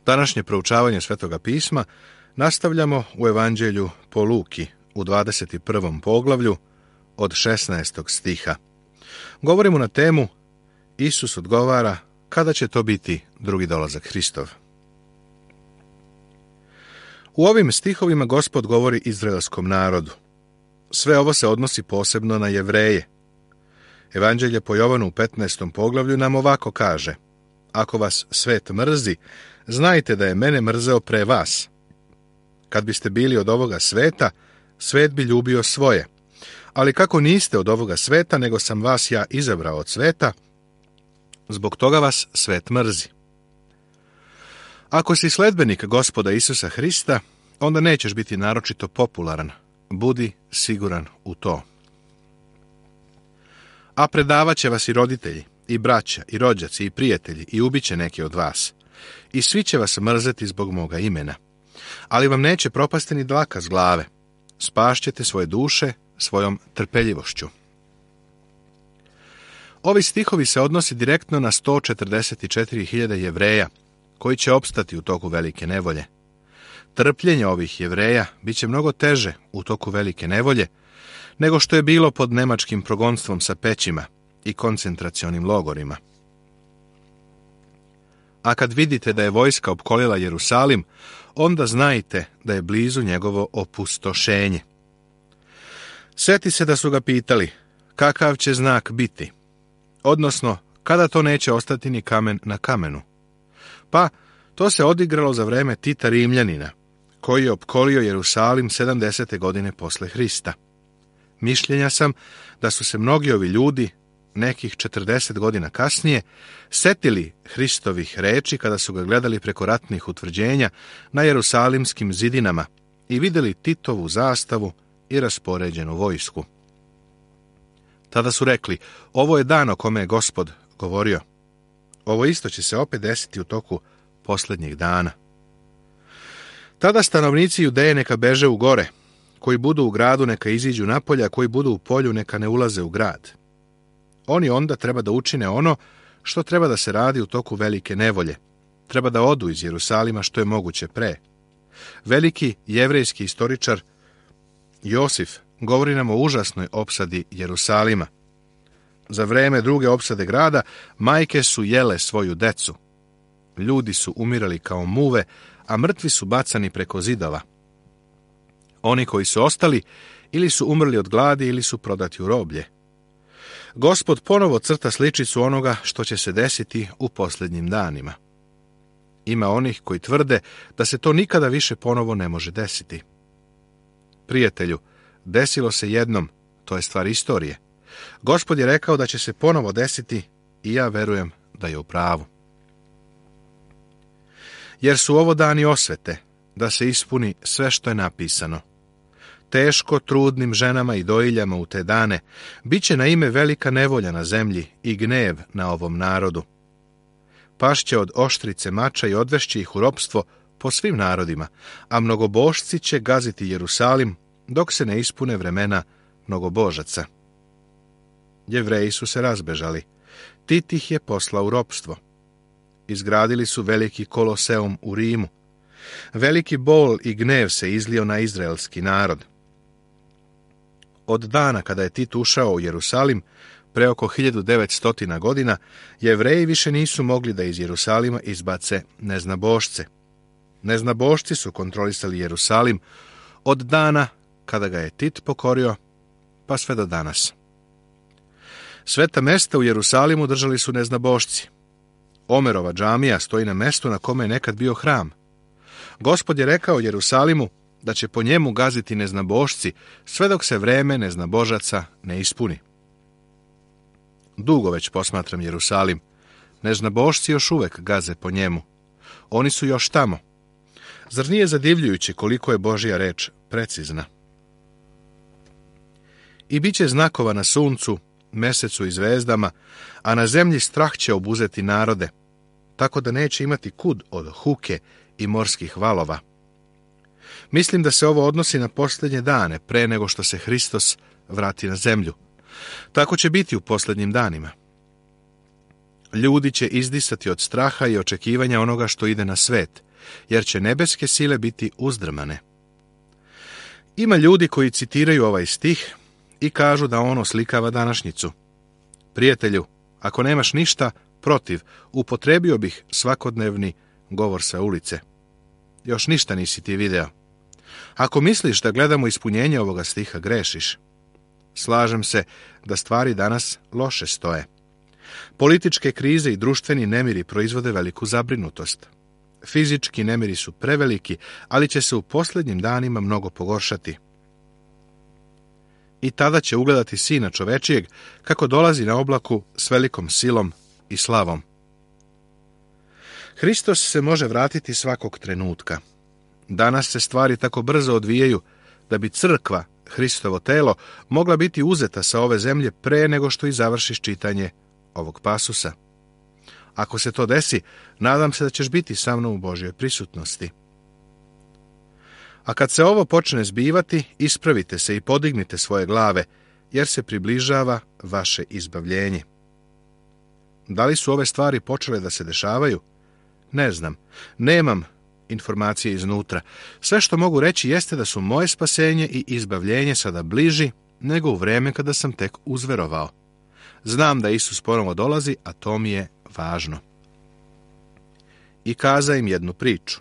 Današnje proučavanje Svetoga pisma nastavljamo u Evanđelju po Luki u 21. poglavlju od 16. stiha. Govorimo na temu Isus odgovara kada će to biti drugi dolazak Hristov. U ovim stihovima Gospod govori izraelskom narodu. Sve ovo se odnosi posebno na Jevreje. Evanđelje po Jovanu u 15. poglavlju nam ovako kaže: Ako vas svet mrzi, znajte da je mene mrzeo pre vas. Kad biste bili od ovoga sveta, svet bi ljubio svoje. Ali kako niste od ovoga sveta, nego sam vas ja izabrao od sveta, zbog toga vas svet mrzi. Ako si sledbenik Gospoda Isusa Hrista, onda nećeš biti naročito popularan. Budi siguran u to. A predavat će vas i roditelji, i braća, i rođaci, i prijatelji, i ubiće neki od vas. I svi će vas mrzeti zbog moga imena. Ali vam neće propasti ni dlaka s glave. Spašćete svoje duše svojom trpeljivošću. Ovi stihovi se odnosi direktno na 144.000 Jevreja, koji će opstati u toku velike nevolje. Trpljenje ovih Jevreja bit će mnogo teže u toku velike nevolje, nego što je bilo pod nemačkim progonstvom sa pećima i koncentracionim logorima. A kad vidite da je vojska opkolila Jerusalim, onda znajte da je blizu njegovo opustošenje. Sjeti se da su ga pitali, kakav će znak biti? Odnosno, kada to neće ostati ni kamen na kamenu? Pa, to se odigralo za vreme Tita Rimljanina, koji je opkolio Jerusalim 70. godine posle Hrista. Mišljenja sam da su se mnogi ovi ljudi, nekih 40 godina kasnije, setili Hristovih reči kada su ga gledali preko ratnih utvrđenja na jerusalimskim zidinama i vidjeli Titovu zastavu i raspoređenu vojsku. Tada su rekli, ovo je dan o kome je Gospod govorio. Ovo isto će se opet desiti u toku posljednjih dana. Tada stanovnici Judeje neka beže u gore, koji budu u gradu neka iziđu napolje, a koji budu u polju neka ne ulaze u grad. Oni onda treba da učine ono što treba da se radi u toku velike nevolje. Treba da odu iz Jerusalima što je moguće pre. Veliki jevrejski istoričar Josif govori nam o užasnoj opsadi Jerusalima. Za vreme druge opsade grada majke su jele svoju decu. Ljudi su umirali kao muve, a mrtvi su bacani preko zidova. Oni koji su ostali ili su umrli od gladi ili su prodati u roblje. Gospod ponovo crta sličicu onoga što će se desiti u posljednjim danima. Ima onih koji tvrde da se to nikada više ponovo ne može desiti. Prijatelju, desilo se jednom, to je stvar istorije. Gospod je rekao da će se ponovo desiti i ja verujem da je u pravu. Jer su ovo dani osvete, da se ispuni sve što je napisano. Teško trudnim ženama i dojiljama u te dane bit će na ime velika nevolja na zemlji i gnev na ovom narodu. Pašće od oštrice mača i odvešće ih u ropstvo po svim narodima, a mnogobožci će gaziti Jerusalim dok se ne ispune vremena mnogobožaca. Jevreji su se razbežali. Tit ih je poslao u ropstvo. Izgradili su veliki koloseum u Rimu. Veliki bol i gnev se izlio na izraelski narod. Od dana kada je Tit ušao u Jerusalim, pre oko 1900 godina, Jevreji više nisu mogli da iz Jerusalima izbace neznabošce. Neznabošci su kontrolisali Jerusalim od dana kada ga je Tit pokorio, pa sve do danas. Sveta mesta u Jerusalimu držali su neznabošci. Omerova džamija stoji na mestu na kome je nekad bio hram. Gospod je rekao Jerusalimu da će po njemu gaziti neznabošci sve dok se vreme neznabožaca ne ispuni. Dugo već posmatram Jerusalim. Neznabošci još uvek gaze po njemu. Oni su još tamo. Zar nije zadivljujuće koliko je Božja reč precizna? I bit će znakova na suncu, mesecu i zvezdama, a na zemlji strah će obuzeti narode, tako da neće imati kud od huke i morskih valova. Mislim da se ovo odnosi na posljednje dane, pre nego što se Hristos vrati na zemlju. Tako će biti u posljednjim danima. Ljudi će izdisati od straha i očekivanja onoga što ide na svet jer će nebeske sile biti uzdrmane. Ima ljudi koji citiraju ovaj stih i kažu da on oslikava današnjicu. Prijatelju, ako nemaš ništa protiv, upotrebio bih svakodnevni govor sa ulice. Još ništa nisi ti video. Ako misliš da gledamo ispunjenje ovoga stiha, grešiš. Slažem se da stvari danas loše stoje. Političke krize i društveni nemiri proizvode veliku zabrinutost. Fizički nemiri su preveliki, ali će se u posljednjim danima mnogo pogoršati. I tada će ugledati Sina čovečijeg kako dolazi na oblaku s velikom silom i slavom. Hristos se može vratiti svakog trenutka. Danas se stvari tako brzo odvijaju da bi crkva, Hristovo telo, mogla biti uzeta sa ove zemlje pre nego što i završiš čitanje ovog pasusa. Ako se to desi, nadam se da ćeš biti sa mnom u Božjoj prisutnosti. A kad se ovo počne zbivati, ispravite se i podignite svoje glave, jer se približava vaše izbavljenje. Da li su ove stvari počele da se dešavaju? Ne znam. Nemam informacije iznutra. Sve što mogu reći jeste da su moje spasenje i izbavljenje sada bliži nego u vreme kada sam tek uzverovao. Znam da Isus ponovo dolazi, a to mi je važno. I kaza im jednu priču.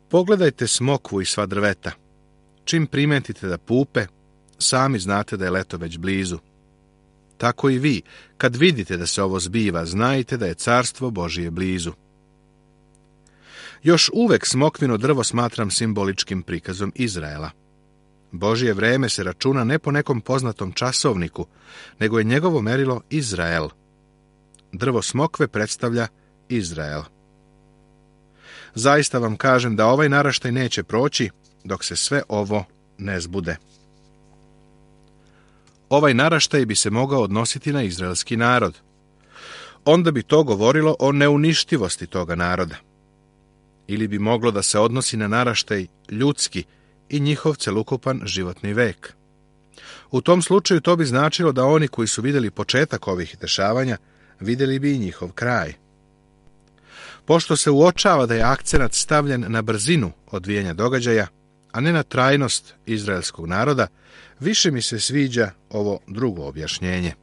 Pogledajte smokvu i sva drveta. Čim primetite da pupe, sami znate da je leto već blizu. Tako i vi, kad vidite da se ovo zbiva, znajte da je carstvo Božije blizu. Još uvek smokvino drvo smatram simboličkim prikazom Izraela. Božje vreme se računa ne po nekom poznatom časovniku, nego je njegovo merilo Izrael. Drvo smokve predstavlja Izrael. Zaista vam kažem da ovaj naraštaj neće proći dok se sve ovo ne zbude. Ovaj naraštaj bi se mogao odnositi na izraelski narod. Onda bi to govorilo o neuništivosti toga naroda. Ili bi moglo da se odnosi na naraštaj ljudski i njihov celukupan životni vek. U tom slučaju to bi značilo da oni koji su vidjeli početak ovih dešavanja, vidjeli bi i njihov kraj. Pošto se uočava da je akcenat stavljen na brzinu odvijanja događaja, a ne na trajnost izraelskog naroda, više mi se sviđa ovo drugo objašnjenje.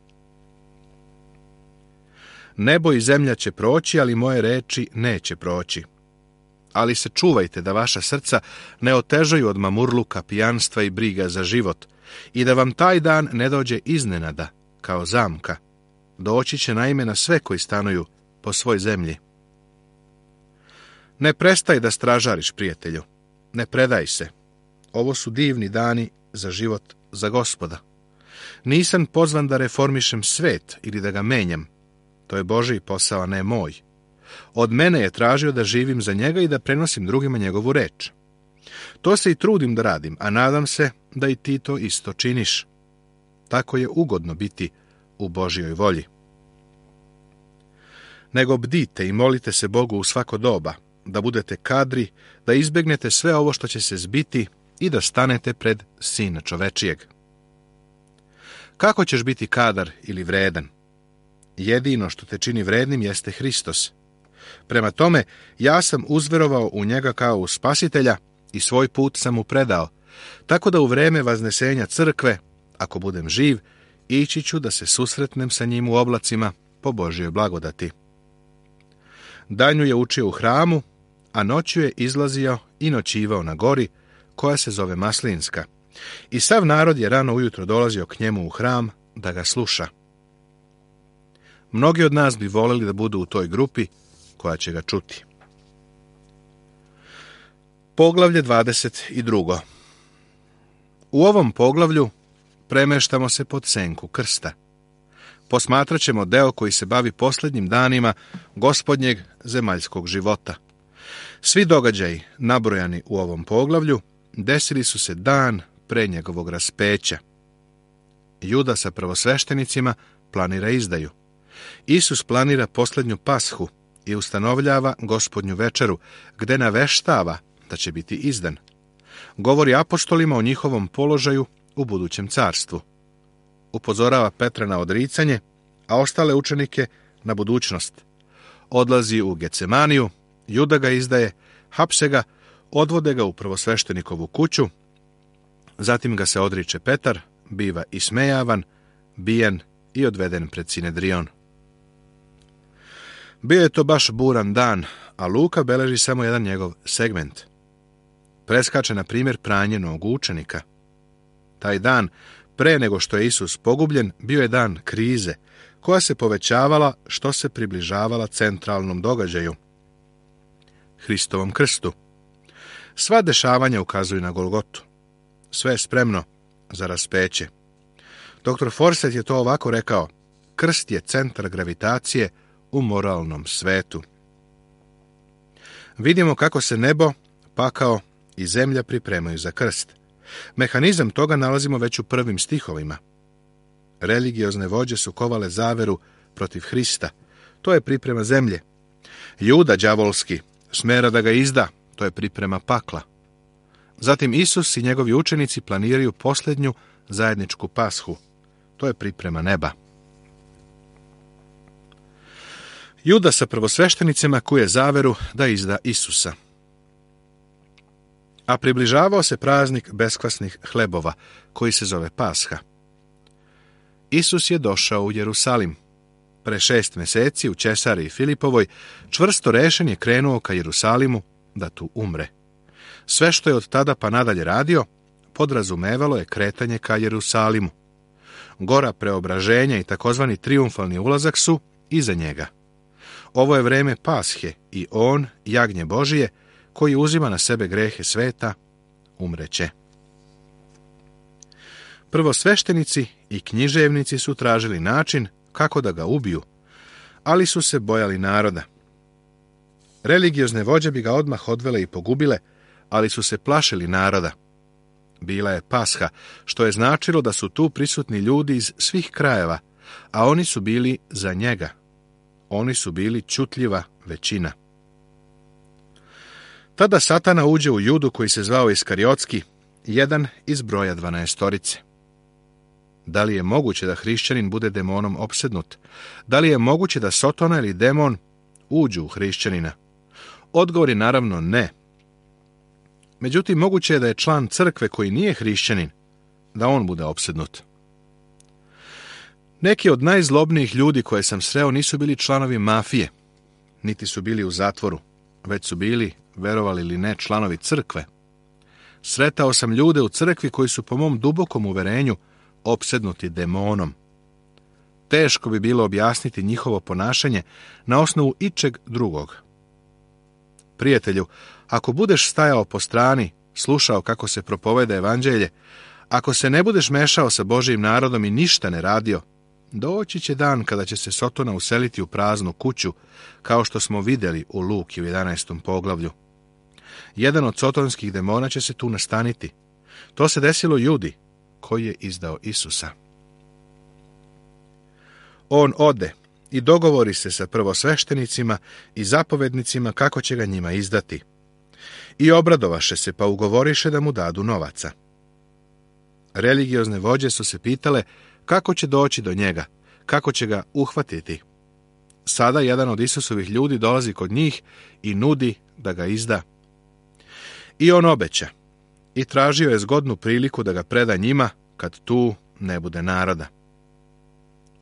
Nebo i zemlja će proći, ali moje reči neće proći. Ali se čuvajte da vaša srca ne otežaju od mamurluka, pijanstva i briga za život i da vam taj dan ne dođe iznenada, kao zamka. Doći će naime na sve koji stanuju po svoj zemlji. Ne prestaj da stražariš, prijatelju. Ne predaj se. Ovo su divni dani za život za Gospoda. Nisam pozvan da reformišem svet ili da ga menjam. To je Božji posao, a ne moj. Od mene je tražio da živim za njega i da prenosim drugima njegovu reč. To se i trudim da radim, a nadam se da i ti to isto činiš. Tako je ugodno biti u Božjoj volji. Nego bdite i molite se Bogu u svako doba, da budete kadri, da izbjegnete sve ovo što će se zbiti i da stanete pred Sina čovečijeg. Kako ćeš biti kadar ili vredan? Jedino što te čini vrednim jeste Hristos. Prema tome, ja sam uzverovao u njega kao u Spasitelja i svoj put sam mu predao, tako da u vreme vaznesenja crkve, ako budem živ, ići ću da se susretnem sa njim u oblacima po Božjoj blagodati. Danju je učio u hramu, a noću je izlazio i noćivao na gori, koja se zove Maslinska. I sav narod je rano ujutro dolazio k njemu u hram da ga sluša. Mnogi od nas bi voleli da budu u toj grupi koja će ga čuti. Poglavlje 22. U ovom poglavlju premeštamo se pod senku krsta. Posmatrat ćemo deo koji se bavi posljednjim danima gospodnjeg zemaljskog života. Svi događaji nabrojani u ovom poglavlju desili su se dan pre njegovog raspeća. Juda sa prvosveštenicima planira izdaju. Isus planira posljednju pashu i ustanovljava gospodnju večeru, gde naveštava da će biti izdan. Govori apostolima o njihovom položaju u budućem carstvu. Upozorava Petra na odricanje, a ostale učenike na budućnost. Odlazi u Gecemaniju Juda ga izdaje, hapse ga, odvode ga u prvosveštenikovu kuću, zatim ga se odriče Petar, biva ismejavan, bijen i odveden pred Sinedrion. Bio je to baš buran dan, a Luka beleži samo jedan njegov segment. Preskače, na primjer, pranje nogu učenika. Taj dan, pre nego što je Isus pogubljen, bio je dan krize, koja se povećavala što se približavala centralnom događaju, Hristovom krstu. Sva dešavanja ukazuju na Golgotu. Sve je spremno za raspeće. Dr. Forsyth je to ovako rekao: krst je centar gravitacije u moralnom svetu. Vidimo kako se nebo, pakao i zemlja pripremaju za krst. Mehanizam toga nalazimo već u prvim stihovima. Religiozne vođe su kovale zaveru protiv Hrista. To je priprema zemlje. Juda đavolski smera da ga izda. To je priprema pakla. Zatim Isus i njegovi učenici planiraju posljednju zajedničku pashu. To je priprema neba. Juda sa prvosveštenicima kuje zaveru da izda Isusa. A približavao se praznik beskvasnih hlebova, koji se zove Pasha. Isus je došao u Jerusalim. Pre 6 mjeseci u Cesariji Filipovoj čvrsto rešen je krenuo ka Jerusalimu da tu umre. Sve što je od tada pa nadalje radio, podrazumevalo je kretanje ka Jerusalimu. Gora preobraženja i takozvani trijumfalni ulazak su iza njega. Ovo je vreme Pashe i on, jagnje Božije, koji uzima na sebe grehe sveta, umreće. Prvosveštenici i književnici su tražili način kako da ga ubiju, ali su se bojali naroda. Religiozne vođe bi ga odmah odvele i pogubile, ali su se plašili naroda. Bila je Pasha, što je značilo da su tu prisutni ljudi iz svih krajeva, a oni su bili za njega. Oni su bili čutljiva većina. Tada Satana uđe u Judu koji se zvao Iskariotski, jedan iz broja 12. Da li je moguće da hrišćanin bude demonom opsednut? Da li je moguće da Sotona ili demon uđu u hrišćanina? Odgovor je naravno ne. Međutim, moguće je da je član crkve koji nije hrišćanin, da on bude opsednut. Neki od najzlobnijih ljudi koje sam sreo nisu bili članovi mafije, niti su bili u zatvoru, već su bili, verovali ili ne, članovi crkve. Sretao sam ljude u crkvi koji su po mom dubokom uverenju opsednuti demonom. Teško bi bilo objasniti njihovo ponašanje na osnovu ičeg drugog. Prijatelju, ako budeš stajao po strani, slušao kako se propoveda evanđelje, ako se ne budeš mešao sa Božijim narodom i ništa ne radio, doći će dan kada će se Sotona useliti u praznu kuću, kao što smo vidjeli u Luki u 11. poglavlju. Jedan od sotonskih demona će se tu nastaniti. To se desilo Judi, koji je izdao Isusa. On ode i dogovori se sa prvosveštenicima i zapovednicima kako će ga njima izdati. I obradovaše se, pa ugovoriše da mu dadu novaca. Religiozne vođe su se pitale kako će doći do njega, kako će ga uhvatiti. Sada jedan od Isusovih ljudi dolazi kod njih i nudi da ga izda. I on obeća i tražio je zgodnu priliku da ga preda njima kad tu ne bude naroda.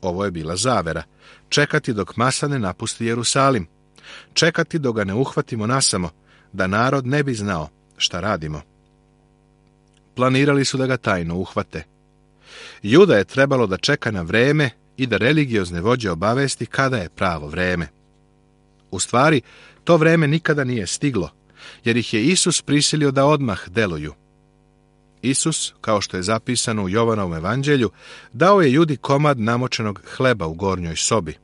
Ovo je bila zavera, čekati dok masa ne napusti Jerusalim, čekati dok ga ne uhvatimo nasamo, da narod ne bi znao šta radimo. Planirali su da ga tajno uhvate. Juda je trebalo da čeka na vreme i da religiozne vođe obavesti kada je pravo vreme. U stvari, to vreme nikada nije stiglo, jer ih je Isus prisilio da odmah deluju. Isus, kao što je zapisano u Jovanovom evanđelju, dao je Judi komad namočenog hleba u gornjoj sobi.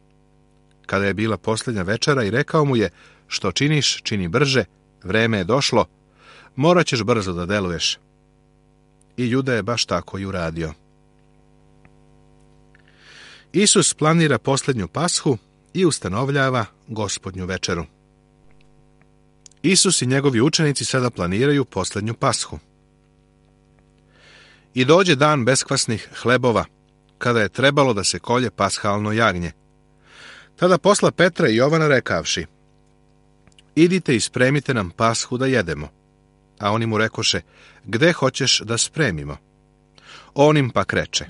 Kada je bila posljednja večera i rekao mu je: što činiš, čini brže, vreme je došlo, morat ćeš brzo da deluješ. I Juda je baš tako i uradio. Isus planira posljednju pashu i ustanovljava Gospodnju večeru. Isus i njegovi učenici sada planiraju posljednju pashu. I dođe dan beskvasnih hlebova, kada je trebalo da se kolje pashalno jagnje. Tada posla Petra i Jovana rekavši: idite i spremite nam pashu da jedemo. A oni mu rekoše, gde hoćeš da spremimo? On im pak reče,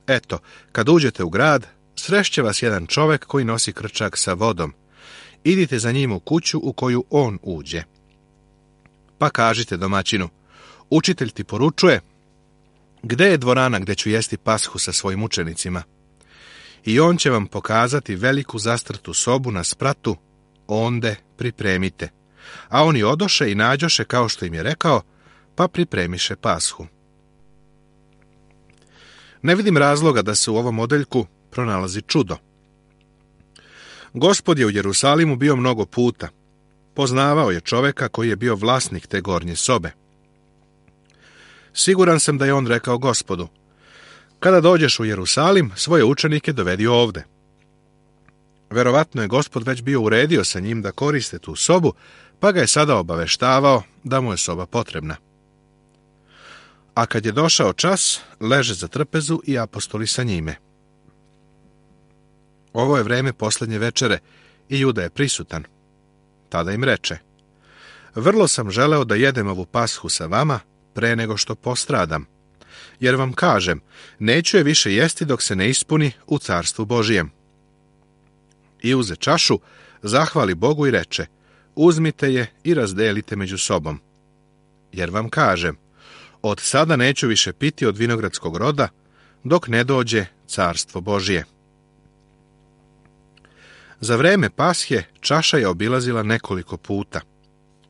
eto, kad uđete u grad, srešće vas jedan čovek koji nosi krčak sa vodom. Idite za njim u kuću u koju on uđe. Pa kažite domaćinu, učitelj ti poručuje, gde je dvorana gde ću jesti pashu sa svojim učenicima? I on će vam pokazati veliku zastrtu sobu na spratu, onde pripremite. A oni odoše i nađoše kao što im je rekao, pa pripremiše pashu. Ne vidim razloga da se u ovom odeljku pronalazi čudo. Gospod je u Jerusalimu bio mnogo puta. Poznavao je čoveka koji je bio vlasnik te gornje sobe. Siguran sam da je on rekao Gospodu, kada dođeš u Jerusalim, svoje učenike dovedi ovde. Verovatno je Gospod već bio uredio sa njim da koriste tu sobu, pa ga je sada obaveštavao da mu je soba potrebna. A kad je došao čas, leže za trpezu i apostoli sa njime. Ovo je vreme posljednje večere i Juda je prisutan. Tada im reče, vrlo sam želeo da jedem ovu pashu sa vama pre nego što postradam, jer vam kažem, neću je više jesti dok se ne ispuni u carstvu Božijem. I uze čašu, zahvali Bogu i reče, uzmite je i razdelite među sobom. Jer vam kažem, od sada neću više piti od vinogradskog roda, dok ne dođe carstvo Božije. Za vreme Pashe čaša je obilazila nekoliko puta.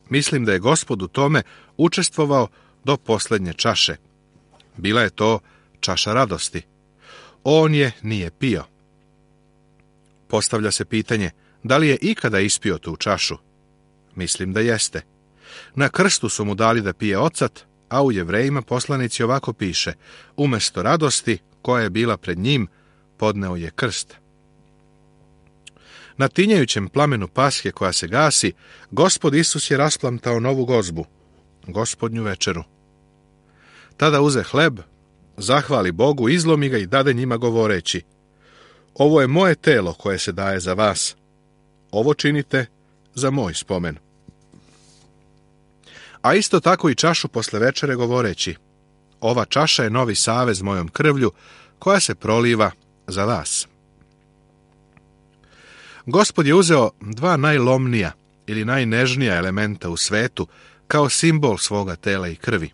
Mislim da je Gospod u tome učestvovao do posljednje čaše. Bila je to čaša radosti. On je nije pio. Postavlja se pitanje, da li je ikada ispio tu čašu? Mislim da jeste. Na krstu su mu dali da pije ocat, a u Jevrejima poslanici ovako piše, umesto radosti koja je bila pred njim, podneo je krst. Na tinjajućem plamenu Pashe koja se gasi, Gospod Isus je rasplamtao novu gozbu, gospodnju večeru. Tada uze hleb, zahvali Bogu, izlomi ga i dade njima govoreći, ovo je moje telo koje se daje za vas. Ovo činite za moj spomen. A isto tako i čašu posle večere govoreći, ova čaša je novi savez mojom krvlju koja se proliva za vas. Gospod je uzeo dva najlomnija ili najnežnija elementa u svetu kao simbol svoga tela i krvi,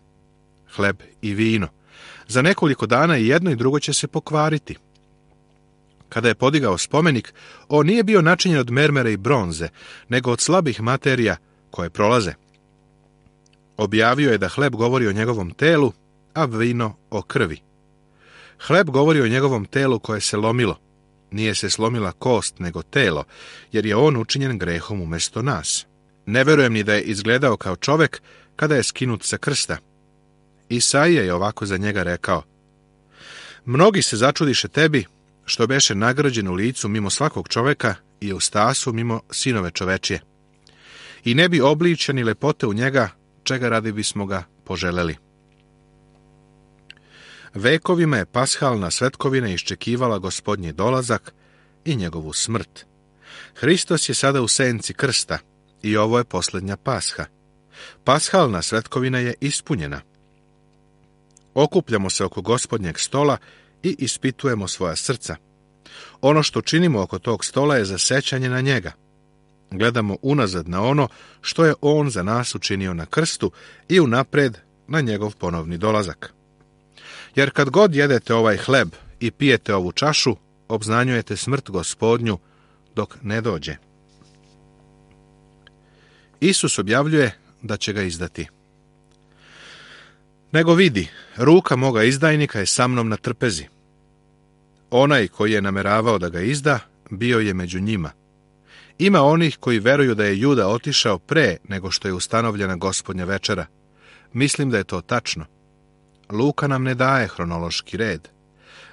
hleb i vino. Za nekoliko dana i jedno i drugo će se pokvariti. Kada je podigao spomenik, on nije bio načinjen od mermera i bronze, nego od slabih materija koje prolaze. Objavio je da hleb govori o njegovom telu, a vino o krvi. Hleb govori o njegovom telu koje se lomilo. Nije se slomila kost, nego telo, jer je on učinjen grehom umjesto nas. Ne verujem ni da je izgledao kao čovek kada je skinut sa krsta. Isaija je ovako za njega rekao, mnogi se začudiše tebi, što beše nagrađen u licu mimo svakog čoveka i u stasu mimo sinove čovečije. I ne bi obličja ni lepote u njega, čega radi bismo ga poželeli. Vekovima je pashalna svetkovina iščekivala Gospodnji dolazak i njegovu smrt. Hristos je sada u senci krsta i ovo je posljednja pasha. Pashalna svetkovina je ispunjena. Okupljamo se oko Gospodnjeg stola i ispitujemo svoja srca. Ono što činimo oko tog stola je za sećanje na njega. Gledamo unazad na ono što je on za nas učinio na krstu i unapred na njegov ponovni dolazak. Jer kad god jedete ovaj hleb i pijete ovu čašu, obznanjujete smrt Gospodnju dok ne dođe. Isus objavljuje da će ga izdati. Nego vidi, ruka moga izdajnika je sa mnom na trpezi. Onaj koji je nameravao da ga izda, bio je među njima. Ima onih koji veruju da je Juda otišao pre nego što je ustanovljena Gospodnja večera. Mislim da je to tačno. Luka nam ne daje hronološki red.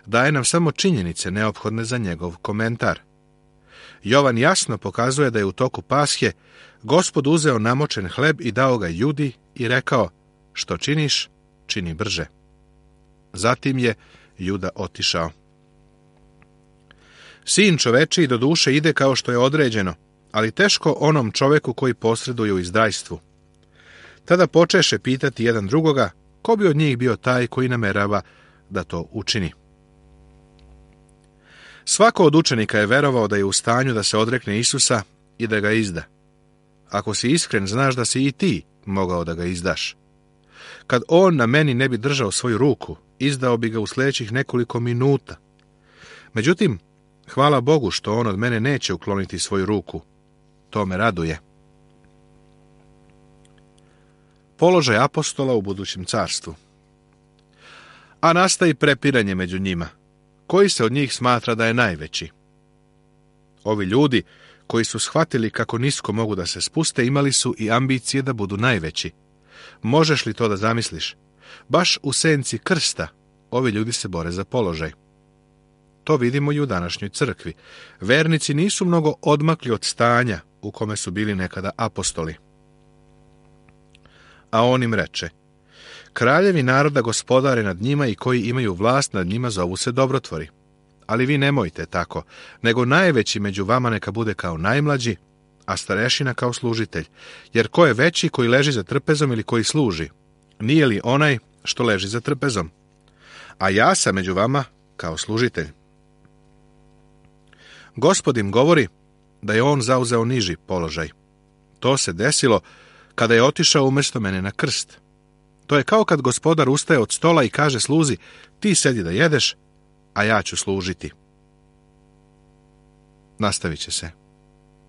Daje nam samo činjenice neophodne za njegov komentar. Jovan jasno pokazuje da je u toku Pashe Gospod uzeo namočen hleb i dao ga Judi i rekao, što činiš, čini brže. Zatim je Juda otišao. Sin čovečiji do duše ide kao što je određeno, ali teško onom čoveku koji posreduje u izdajstvu. Tada počeše pitati jedan drugoga, ko bi od njih bio taj koji namerava da to učini. Svako od učenika je verovao da je u stanju da se odrekne Isusa i da ga izda. Ako si iskren, znaš da si i ti mogao da ga izdaš. Kad on na meni ne bi držao svoju ruku, izdao bi ga u sljedećih nekoliko minuta. Međutim, hvala Bogu što on od mene neće ukloniti svoju ruku. To me raduje. Položaj apostola u budućem carstvu. A nastaje prepiranje među njima. Koji se od njih smatra da je najveći? Ovi ljudi, koji su shvatili kako nisko mogu da se spuste, imali su i ambicije da budu najveći. Možeš li to da zamisliš? Baš u senci krsta ovi ljudi se bore za položaj. To vidimo i u današnjoj crkvi. Vernici nisu mnogo odmakli od stanja u kome su bili nekada apostoli. A on im reče, kraljevi naroda gospodare nad njima i koji imaju vlast nad njima zovu se dobrotvori. Ali vi nemojte tako, nego najveći među vama neka bude kao najmlađi, a starešina kao služitelj. Jer ko je veći, koji leži za trpezom ili koji služi? Nije li onaj što leži za trpezom? A ja sam među vama kao služitelj. Gospod im govori da je on zauzeo niži položaj. To se desilo kada je otišao umjesto mene na krst. To je kao kad gospodar ustaje od stola i kaže sluzi, ti sedi da jedeš, a ja ću služiti. Nastavit će se.